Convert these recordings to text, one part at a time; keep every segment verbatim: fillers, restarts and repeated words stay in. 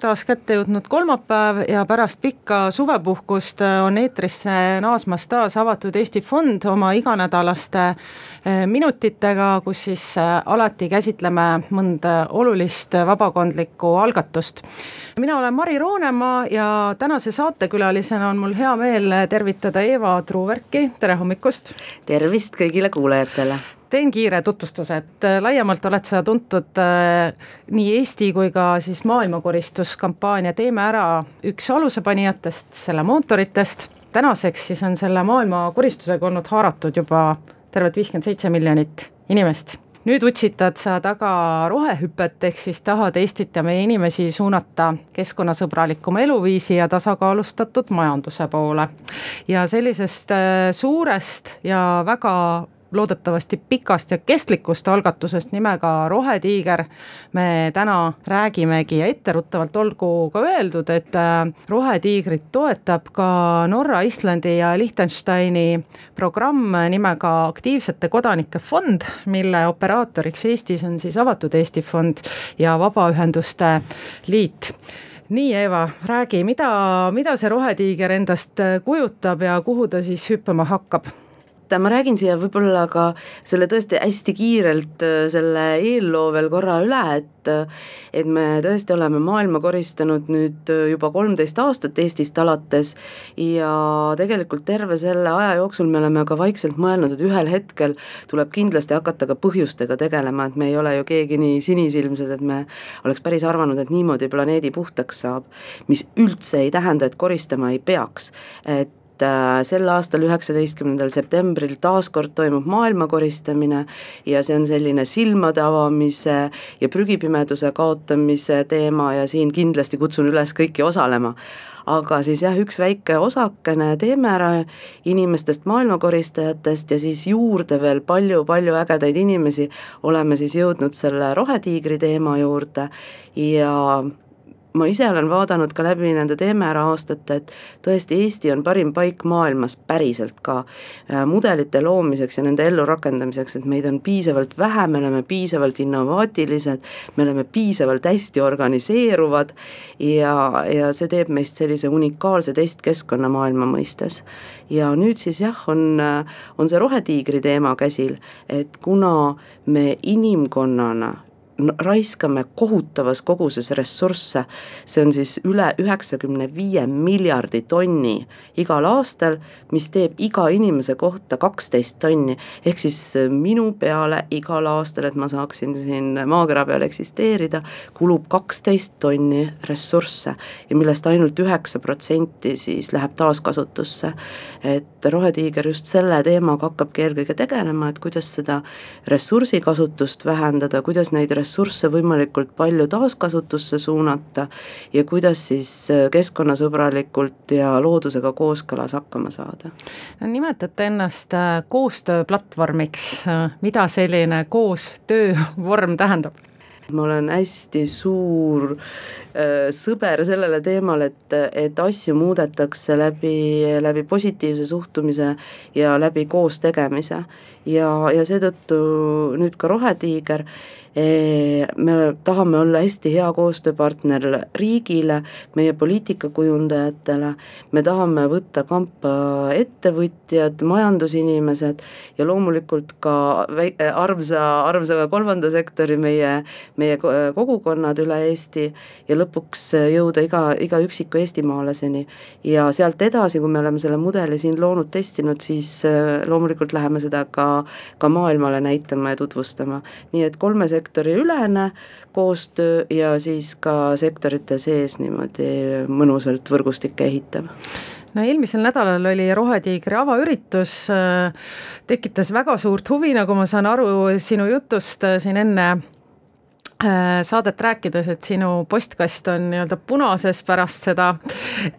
taas kätte jõudnud kolmapäev ja pärast pikka suvepuhkust on eetrisse naasmas taas Avatud Eesti Fond oma iganädalaste minutitega, kus siis alati käsitleme mõnda olulist vabakondlikku algatust. Mina olen Mari Roonemaa ja tänase saatekülalisena on mul hea meel tervitada Eva Truuverki. Tere hommikust! Tervist kõigile kuulajatele! Teen kiire tutvustuse, et laiemalt oled sa tuntud äh, nii Eesti kui ka siis maailmakoristuskampaania Teeme ära üks alusepanijatest, selle mootoritest. Tänaseks siis on selle maailmakoristusega olnud haaratud juba tervet viiskümmend seitse miljonit inimest. Nüüd utsitad sa taga rohehüpet, ehk siis tahad Eestit ja meie inimesi suunata keskkonnasõbralikuma eluviisi ja tasakaalustatud majanduse poole. Ja sellisest äh, suurest ja väga loodetavasti pikast ja kestlikust algatusest nimega Rohetiiger me täna räägimegi ja etteruttavalt olgu ka öeldud, et Rohetiigrit toetab ka Norra, Islandi ja Liechtensteini programm nimega Aktiivsete kodanike fond, mille operaatoriks Eestis on siis Avatud Eesti Fond ja Vabaühenduste Liit. Nii, Eva, räägi, mida, mida see Rohetiiger endast kujutab ja kuhu ta siis hüppama hakkab? Ma räägin siia võib-olla ka selle tõesti hästi kiirelt selle eelloo veel korra üle, et, et me tõesti oleme maailma koristanud nüüd juba kolmteist aastat Eestist alates ja tegelikult terve selle aja jooksul me oleme ka vaikselt mõelnud, et ühel hetkel tuleb kindlasti hakata ka põhjustega tegelema, et me ei ole ju keegi nii sinisilmsed, et me oleks päris arvanud, et niimoodi planeedi puhtaks saab, mis üldse ei tähenda, et koristama ei peaks, et sel aastal üheksateistkümnendal septembril taaskord toimub maailma koristamine ja see on selline silmade avamise ja prügipimeduse kaotamise teema ja siin kindlasti kutsun üles kõiki osalema. Aga siis jah, üks väike osakene Teeme ära inimestest, maailmakoristajatest ja siis juurde veel palju-palju ägedaid inimesi oleme siis jõudnud selle Rohetiigri teema juurde ja ma ise olen vaadanud ka läbi nende Teeme ära aastate, et tõesti Eesti on parim paik maailmas päriselt ka mudelite loomiseks ja nende ellu rakendamiseks, et meid on piisavalt vähe, me oleme piisavalt innovaatilised, me oleme piisavalt hästi organiseeruvad ja, ja see teeb meist sellise unikaalse testkeskkonna maailma mõistes. Ja nüüd siis jah, on, on see Rohetiigri teema käsil, et kuna me inimkonnana raiskame kohutavas koguses ressursse, see on siis üle üheksakümne viie miljardi tonni igal aastal, mis teeb iga inimese kohta kaksteist tonni, ehk siis minu peale igal aastal, et ma saaksin siin maakera peal eksisteerida, kulub kaksteist tonni ressursse ja millest ainult üheksa protsenti siis läheb taaskasutusse. Et Rohetiiger just selle teemaga hakkabki eelkõige tegelema, et kuidas seda ressursikasutust vähendada, kuidas neid ressursse võimalikult palju taaskasutusse suunata ja kuidas siis keskkonnasõbralikult ja loodusega kooskõlas hakkama saada. Nimetate ennast koostööplatvormiks, mida selline koostöövorm tähendab? Ma olen hästi suur äh, sõber sellele teemal, et, et asju muudetakse läbi, läbi positiivse suhtumise ja läbi koos tegemise ja, ja seetõttu nüüd ka Rohetiiger, me tahame olla hästi hea koostööpartner riigile, meie poliitikakujundajatele, me tahame võtta kampa ettevõtjad, majandusinimesed ja loomulikult ka armsa, armsa kolmanda sektori meie, meie kogukonnad üle Eesti ja lõpuks jõuda iga, iga üksiku eestimaalaseni ja sealt edasi, kui me oleme selle mudeli siin loonud, testinud, siis loomulikult läheme seda ka, ka maailmale näitama ja tutvustama. Nii et kolme sektori ülene koostöö ja siis ka sektorite sees niimoodi mõnusalt võrgustikke ehitav. No eelmisel nädalal oli Rohetiigri avaüritus, tekitas väga suurt huvi, nagu ma saan aru sinu jutust siin enne saadet rääkides, et sinu postkast on nii-öelda punases pärast seda,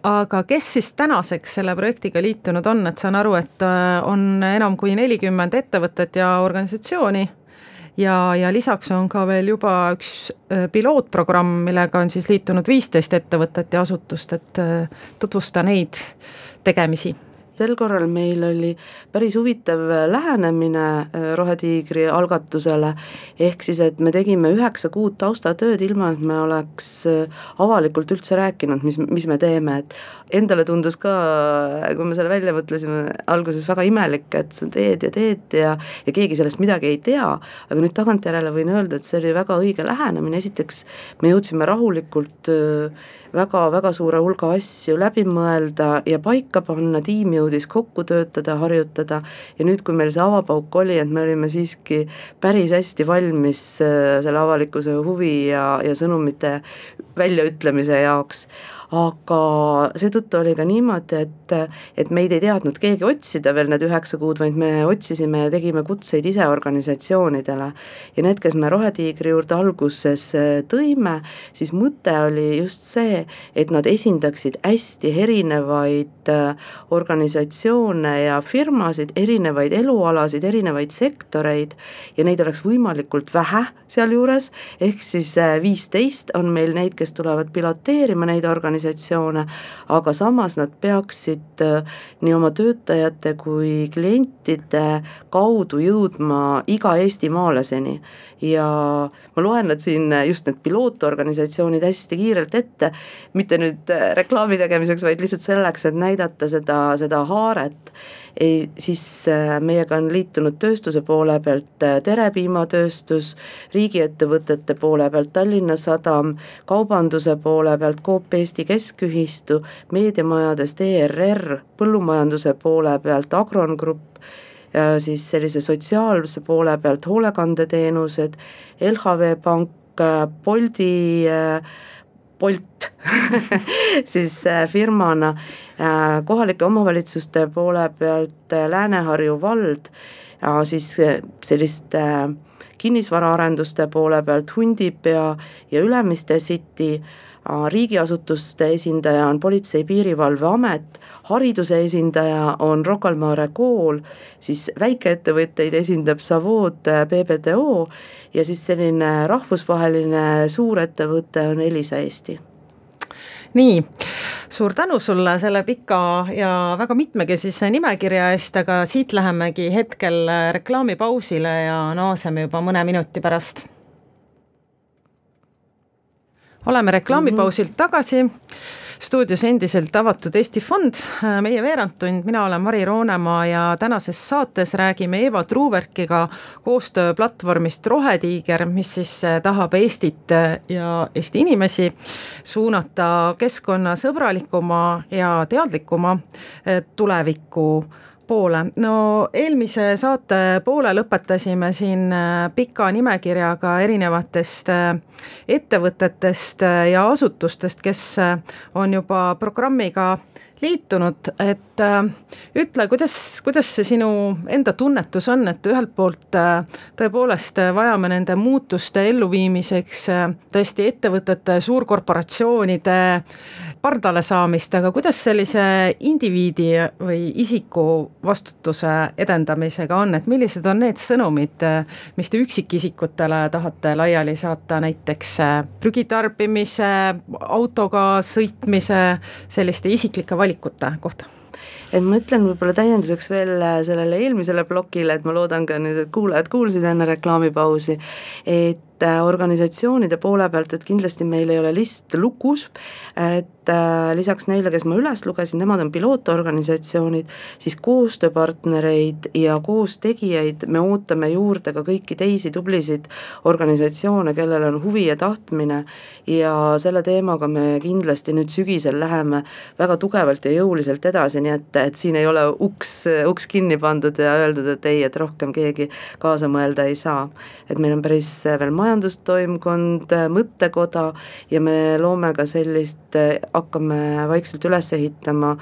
aga kes siis tänaseks selle projektiga liitunud on, et saan aru, et on enam kui nelikümmend ettevõtet ja organisatsiooni ja, ja lisaks on ka veel juba üks pilootprogramm, millega on siis liitunud viisteist ettevõtet ja asutust, et tutvusta neid tegemisi. sel korral meil oli päris huvitav lähenemine Rohetiigri algatusele, ehk siis, et me tegime üheksa kuud taustatööd ilma, et me oleks avalikult üldse rääkinud, mis, mis me teeme, et endale tundus ka, kui me selle välja mõtlesime, alguses väga imelik, et sa teed ja teed ja, ja keegi sellest midagi ei tea, aga nüüd tagantjärele võin öelda, et see oli väga õige lähenemine. Esiteks me jõudsime rahulikult väga, väga suure hulga asju läbi mõelda ja paika panna, tiim jõudis kokku töötada, harjutada ja nüüd, kui meil see avapauk oli, et me olime siiski päris hästi valmis selle avalikkuse huvi ja, ja sõnumite väljaütlemise jaoks, aga seetõttu oli ka niimoodi, et, et meid ei teadnud keegi otsida veel need üheksa kuud, vaid me otsisime ja tegime kutseid ise organisatsioonidele ja need, kes me Rohetiigri juurde alguses tõime, siis mõte oli just see, et nad esindaksid hästi erinevaid organisatsioone ja firmasid, erinevaid elualasid, erinevaid sektoreid ja neid oleks võimalikult vähe sealjuures, ehk siis viisteist on meil neid, kes tulevad piloteerima neid organisatsioone, aga samas nad peaksid nii oma töötajate kui klientide kaudu jõudma iga eestimaalaseni ja ma loen nad siin just need pilootorganisatsioonid hästi kiirelt ette, mitte nüüd reklaami tegemiseks, vaid lihtsalt selleks, et näidata seda, seda haaret. Ei, siis meiega on liitunud tööstuse poole pealt Terepiimatööstus, riigiettevõtete poole pealt Tallinna Sadam, kaubanduse poole pealt Coop Eesti Keskühistu, meediamajadest E R R, põllumajanduse poole pealt Agron Grupp, ja siis sellise sotsiaalse poole pealt hoolekandeteenused, L H V Pank, Boldi, Bolt siis firmana, kohalike omavalitsuste poole pealt Lääne-Harju vald, ja siis selliste kinnisvaraarenduste poole pealt Hundipea ja Ülemiste City, riigiasutuste esindaja on Politsei- Piirivalveamet, hariduse esindaja on Rocca al Mare kool, siis väikeettevõtteid esindab Savood P B D O ja siis selline rahvusvaheline suurettevõte on Elisa Eesti. Nii, suur tänu sulle selle pika ja väga mitmekesise nimekirja eest, aga siit lähemegi hetkel reklaamipausile ja naaseme juba mõne minuti pärast. Oleme reklaamipausilt tagasi, stuudios endiselt avatud Eesti Fond, meie veerandtund, mina olen Mari Roonemaa ja tänases saates räägime Eva Truuverkiga koostööplatvormist Rohetiiger, mis siis tahab Eestit ja Eesti inimesi suunata keskkonnasõbralikuma ja teadlikuma tuleviku poole. No eelmise saate poole lõpetasime siin pika nimekirjaga erinevatest ettevõtetest ja asutustest, kes on juba programmiga liitunud, et ütle, kuidas, kuidas see sinu enda tunnetus on, et ühelt poolt tõepoolest vajame nende muutuste elluviimiseks tõesti ettevõtete, suurkorporatsioonide pardale saamist, aga kuidas sellise indiviidi või isiku vastutuse edendamisega on, et millised on need sõnumid, mis te üksikisikutele tahate laiali saata, näiteks prügitarbimise, autoga sõitmise, selliste isiklike valikute kohta? Et ma ütlen võib-olla täienduseks veel sellele eelmisele plokile, et ma loodan ka nüüd, et kuulajad kuulsid enne reklaamipausi, et organisatsioonide poole pealt, et kindlasti meil ei ole list lukus, et lisaks neile, kes ma üles lugesin, nemad on pilootorganisatsioonid, siis koostööpartnereid ja koostegijaid me ootame juurde ka kõiki teisi tublisid organisatsioone, kellel on huvi ja tahtmine ja selle teemaga me kindlasti nüüd sügisel läheme väga tugevalt ja jõuliselt edasi, nii et, et siin ei ole uks, uks kinni pandud ja öeldud, et ei, et rohkem keegi kaasa mõelda ei saa. Et meil on päris veel majandustoimkond, mõttekoda ja me loome ka sellist, hakkame vaikselt üles ehitama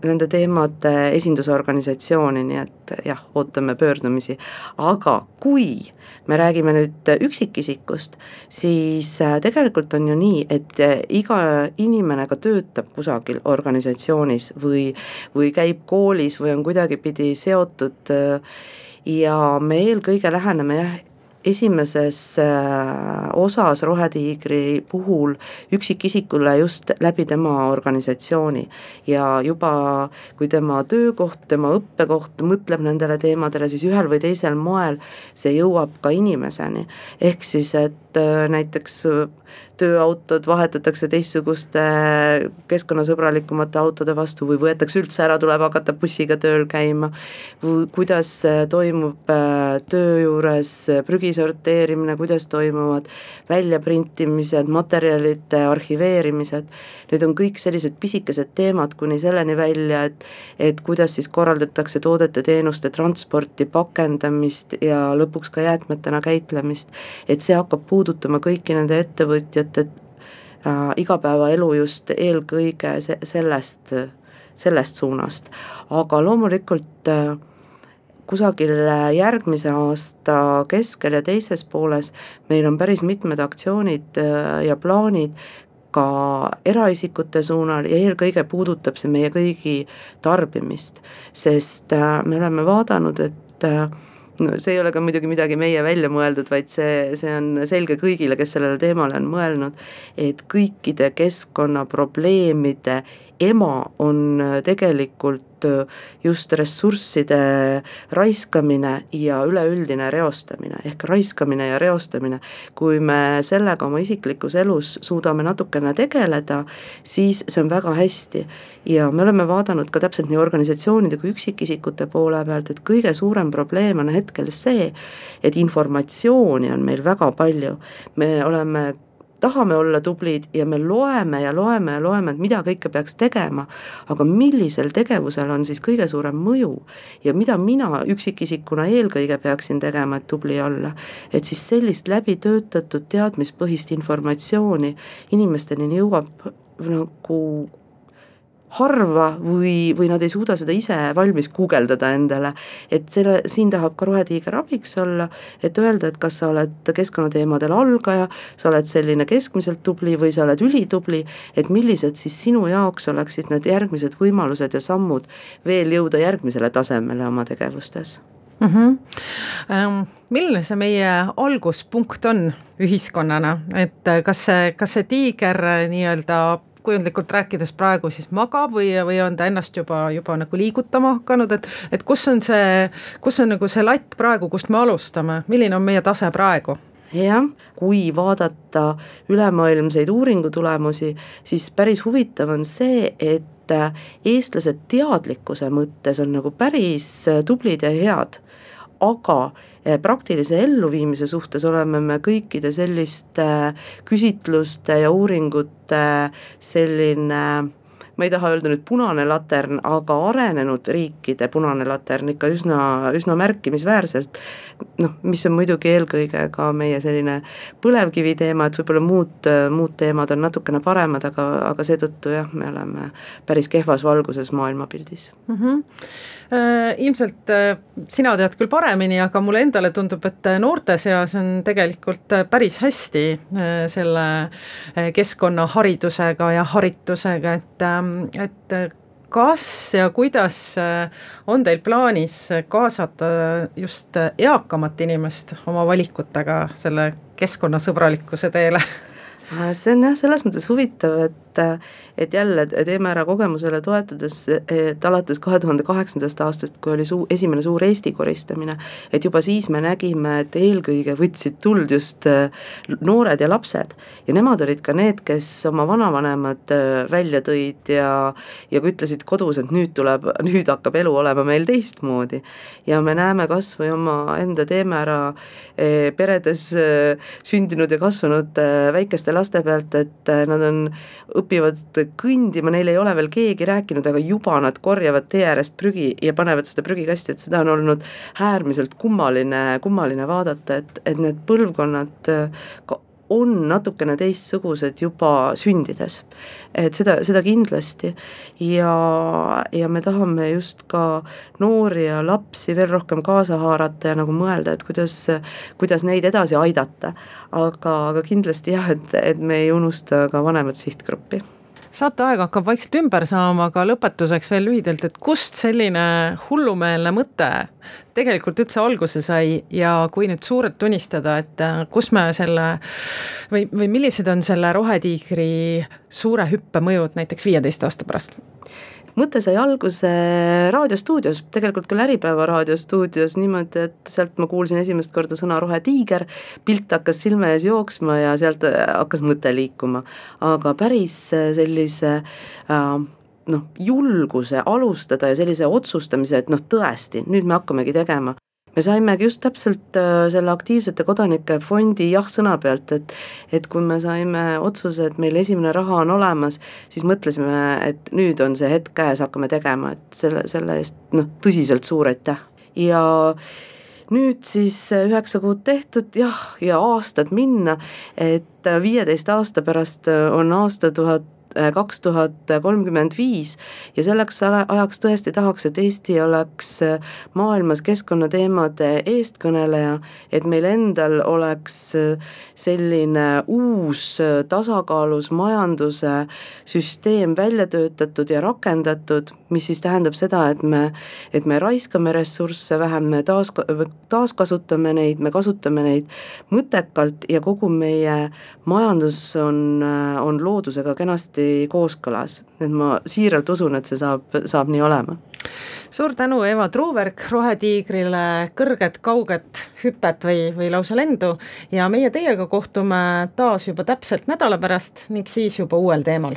nende teemade esindusorganisatsiooni, nii et jah, ootame pöördumisi. Aga kui me räägime nüüd üksikisikust, siis tegelikult on ju nii, et iga inimene ka töötab kusagil organisatsioonis või, või käib koolis või on kuidagi pidi seotud ja me eelkõige läheneme jah, esimeses osas Rohetiigri puhul üksikisikule just läbi tema organisatsiooni ja juba kui tema töökoht, tema õppekoht mõtleb nendele teemadele, siis ühel või teisel moel see jõuab ka inimeseni. Ehk siis, et näiteks tööautod vahetatakse teistsuguste keskkonnasõbralikumate autode vastu või võetakse üldse ära, tuleb hakata bussiga tööl käima, kuidas toimub töö juures prügi sorteerimine, kuidas toimuvad väljaprintimised, materjalide arhiveerimised, need on kõik sellised pisikesed teemad kuni selleni välja, et, et kuidas siis korraldatakse toodete, teenuste, transporti, pakendamist ja lõpuks ka jäätmetena käitlemist, et see hakkab puudutama kõiki nende ettevõtjate äh, igapäevaelu just eelkõige se- sellest, sellest suunast, aga loomulikult äh, kusagil järgmise aasta keskel ja teises pooles meil on päris mitmed aktsioonid äh, ja plaanid ka eraisikute suunal ja eelkõige puudutab see meie kõigi tarbimist, sest äh, me oleme vaadanud, et äh, no see ei ole ka muidugi midagi meie välja mõeldud, vaid see, see on selge kõigile, kes sellele teemale on mõelnud, et kõikide keskkonnaprobleemide ema on tegelikult just ressursside raiskamine ja üleüldine reostamine, ehk raiskamine ja reostamine. Kui me sellega oma isiklikus elus suudame natukene tegeleda, siis see on väga hästi ja me oleme vaadanud ka täpselt nii organisatsioonide kui üksikisikute poole pealt, et kõige suurem probleem on hetkel see, et informatsiooni on meil väga palju, me oleme tahame olla tublid ja me loeme ja loeme ja loeme, et mida kõike peaks tegema, aga millisel tegevusel on siis kõige suurem mõju ja mida mina üksikisikuna eelkõige peaksin tegema, et tubli olla, et siis sellist läbi töötatud teadmispõhist informatsiooni inimesteni jõuab nagu harva või, või nad ei suuda seda ise valmis guugeldada endale, et selle, siin tahab ka Rohetiiger abiks olla, et öelda, et kas sa oled keskkonnateemadel algaja, sa oled selline keskmiselt tubli või sa oled ülitubli, et millised siis sinu jaoks oleksid need järgmised võimalused ja sammud veel jõuda järgmisele tasemele oma tegevustes. Mm-hmm. Ähm, milline see meie alguspunkt on ühiskonnana, et kas see, kas see tiiger nii-öelda kujundlikult rääkides praegu siis magab või, või on ta ennast juba, juba nagu liigutama hakanud, et, et kus on see, kus on nagu see latt praegu, kust me alustame, milline on meie tase praegu? Jah, kui vaadata ülemaailmseid uuringutulemusi, siis päris huvitav on see, et eestlased teadlikkuse mõttes on nagu päris tublid ja head, aga praktilise elluviimise suhtes oleme me kõikide selliste küsitluste ja uuringute selline, ma ei taha öelda nüüd punane latern, aga arenenud riikide punane latern ikka üsna, üsna märkimisväärselt, noh, mis on muidugi eelkõige ka meie selline põlevkivi teema, et võib-olla muud, muud teemad on natukene paremad, aga, aga seetõttu jah, me oleme päris kehvas valguses maailmapildis. Mm-hmm. Äh, ilmselt äh, sina tead küll paremini, aga mulle endale tundub, et noorte seas on tegelikult päris hästi äh, selle keskkonnaharidusega ja haritusega, et, äh, et kas ja kuidas on teil plaanis kaasata just eakamat inimest oma valikutega selle keskkonnasõbralikkuse teele? See on jah selles mõttes huvitav, et, et jälle teeme ära kogemusele toetudes, et alates kahe tuhande kaheksandast aastast, kui oli suu, esimene suur Eesti koristamine, et juba siis me nägime, et eelkõige võtsid tuld just noored ja lapsed ja nemad olid ka need, kes oma vanavanemad välja tõid ja, ja ütlesid kodus, et nüüd tuleb, nüüd hakkab elu olema meil teistmoodi ja me näeme kas või oma enda teeme ära peredes sündinud ja kasvanud väikeste laste pealt, et nad on, õpivad kõndima, neil ei ole veel keegi rääkinud, aga juba nad korjavad tee äärest prügi ja panevad seda prügikasti, et seda on olnud äärmiselt kummaline, kummaline vaadata, et, et need põlvkonnad on natukene teistsugused juba sündides, et seda, seda kindlasti ja, ja me tahame just ka noori ja lapsi veel rohkem kaasa haarata ja nagu mõelda, et kuidas, kuidas neid edasi aidata, aga, aga kindlasti jah, et, et me ei unusta ka vanemat sihtgruppi. saateaeg hakkab vaikselt ümber saama, aga lõpetuseks veel lühidalt, et kust selline hullumeelne mõte tegelikult üldse alguse sai ja kui nüüd suurelt tunnistada, et kus me selle või, või millised on selle Rohetiigri suure hüppe mõjud näiteks viieteist aasta pärast? Mõte sai alguse raadiostuudios, tegelikult küll Äripäeva raadiostuudios niimoodi, et sealt ma kuulsin esimest korda sõna Rohetiiger, pilt hakkas silme ees jooksma ja sealt hakkas mõte liikuma. Aga päris sellise äh, noh, julguse alustada ja sellise otsustamise, et noh tõesti, nüüd me hakkamegi tegema. Me saimegi just täpselt selle aktiivsete kodanike fondi jah-sõna pealt, et, et kui me saime otsuse, et meil esimene raha on olemas, siis mõtlesime, et nüüd on see hetk käes, hakkame tegema, et selle, selle eest noh, tõsiselt suur aitäh. Ja nüüd siis üheksa kuud tehtud, jah, ja aastad minna, et viieteist aasta pärast on aasta tuhat kaks tuhat kolmkümmend viis ja selleks ajaks tõesti tahaks, et Eesti oleks maailmas keskkonnateemade eestkõneleja, et meil endal oleks selline uus tasakaalus majanduse süsteem välja töötatud ja rakendatud, mis siis tähendab seda, et me, et me raiskame ressursse vähem, me taas, taaskasutame neid, me kasutame neid mõttekalt ja kogu meie majandus on, on loodusega kenasti kooskõlas. Et ma siiralt usun, et see saab, saab nii olema. Suur tänu, Eva Truuberg, Rohetiigrile kõrget, kauget hüpet või, või lausa lendu ja meie teiega kohtume taas juba täpselt nädala pärast ning siis juba uuel teemal.